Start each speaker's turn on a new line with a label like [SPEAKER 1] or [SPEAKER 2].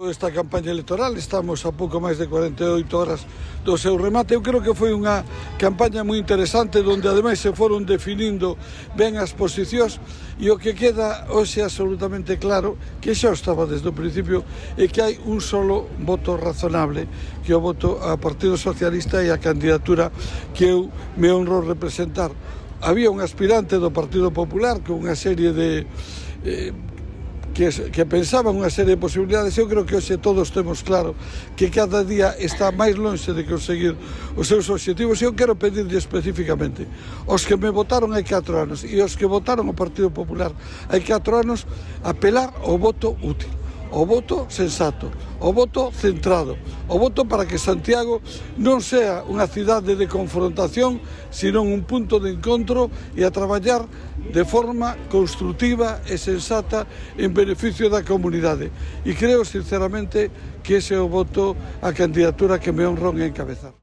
[SPEAKER 1] Esta campaña electoral, estamos a pouco máis de 48 horas do seu remate. Eu creo que foi unha campaña moi interesante, onde ademais se foron definindo ben as posicións, e o que queda hoxe absolutamente claro, que xa estaba desde o principio, é que hai un solo voto razonable, que é o voto ao Partido Socialista e a candidatura que eu me honro representar. Había un aspirante do Partido Popular con unha serie de que pensaban unha serie de posibilidades. Eu creo que hoxe todos temos claro que cada día está máis lonxe de conseguir os seus obxectivos. Eu quero pedirlle especificamente aos que me votaron hai 4 anos e aos que votaron o Partido Popular hai 4 anos apelar ao voto útil, ao voto sensato, ao voto centrado, ao voto para que Santiago non sea unha cidade de confrontación, sino un punto de encontro, e a traballar de forma construtiva e sensata en beneficio da comunidade. E creo sinceramente que ese é o voto, a candidatura que me honro en encabezar.